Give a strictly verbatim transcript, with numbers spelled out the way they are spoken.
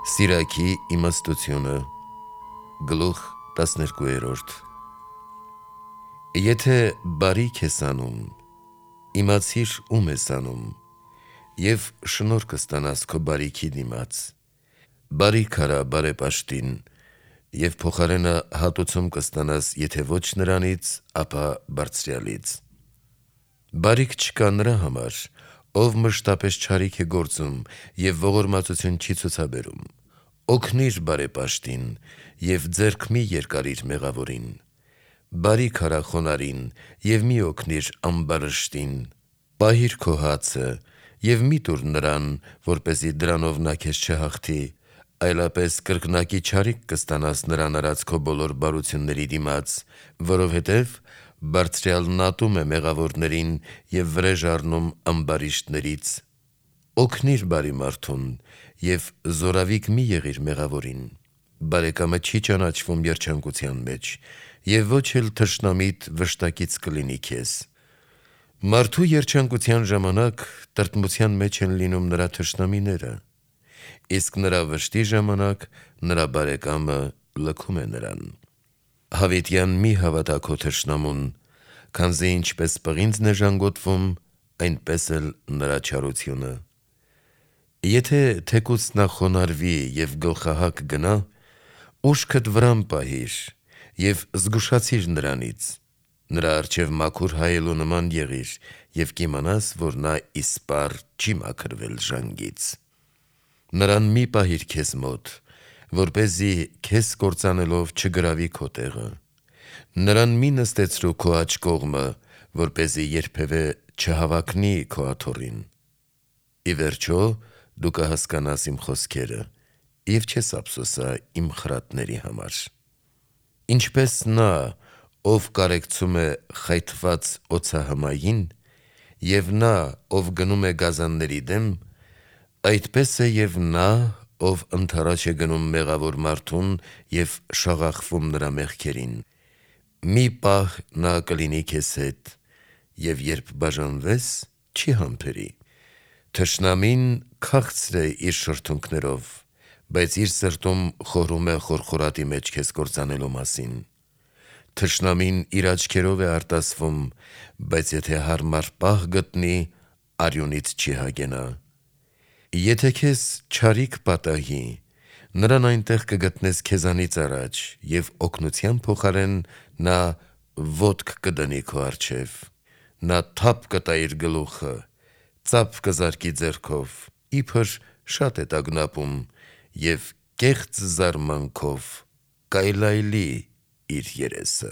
Սիրակի իմաստությունը գլուխ տասներկուերորդ Եթե բարիք ես անում, իմացիր ում ես անում, և շնորհ կստանաս քո բարիքի դիմաց: Բարիք արա բարեպաշտին, և փոխարենը հատուցում կստանաս եթե ոչ նրանից, ապա Բարձրյալից: Բարիք չկա նրա համար, ով մշտապես չարիք է գործում և ողորմածություն չի ցուցաբերում: Օգնիր բարեպաշտին և ձեռք մի երկարիր մեղավորին: Բարիք արա խոնարհին և մի օգնիր ամբարշտին: Պահիր քո հացը և մի տուր նրան, որպեսզի դրանով նա քեզ չհաղթի, այլապես կրկնակի չարիք կստանաս նրան արած քո բոլոր բարությունների դիմաց, որովհետև Բարձրյալն ատում է մեղավորներին և վրեժ առնում ամբարիշտներից: Օգնիր բարի մարդուն և զորավիք մի եղիր մեղավորին: Բարեկամը չի ճանաչվում երջանկության մեջ, և ոչ էլ թշնամիտ վշտակից կլինի քեզ: Մարդու երջանկության ժամանակ տրտմության մեջ են լինում նրա թշնամիները, իսկ նրա վշտի ժամանակ նրա բարեկամը լքում է նրան: Հավիտյան մի հավատա քո թշնամուն, քանզի ինչպես պղինձն է ժանգոտվում, այնպես էլ նրա չարությունը: Եթե թեկուզ նա խոնարհվի և գլխահակ գնա, ուշքդ վրան պահիր և զգուշացիր նրանից: Նրա առջև մաքուր հայելու նման եղիր և կիմանաս, որ նա իսպառ չի մաքրվել ժանգից: Նրան մի պահիր քեզ մոտ, որպեսզի քեզ կործանելով չգրավի քո տեղը: Նրան մի նստեցրու քո աջ կողմը, որպեսզի երբևէ չհավակնի քո աթոռին: Ի վերջո դու կհասկանաս իմ խոսքերը և չես ափսոսա իմ խրատների համար: Ինչպես նա, ով կարեկցում է խայթված օձահմային, և նա, ով գնում է գազանների դեմ, այդպես է և նա, ով ընդառաջ է գնում մեղավոր մարդուն և շաղախվում նրա մեղքերին: Մի պահ նա կլինի քեզ հետ և երբ բաժանվես, չի համբերի: Թշնամին քաղցր է իր շրթունքներով, բայց իր սրտում խորհում է խորխորատի մեջ քեզ կործանելու մասին: Թշնամին իր աչքերով է արտասվում, բայց եթե հարմար պահ գտնի, արյունից չի հագենա: Եթե քեզ չարիք պատահի, նրան այնտեղ կգտնես քեզանից առաջ և օգնության փոխարեն նա ոտք կդնի քո առջև: Նա թափ կտա իր գլուխը, ծափ կզարկի ձեռքով, իբր շատ է տագնապում և կեղծ զարմանքով կայլայլի իր երեսը: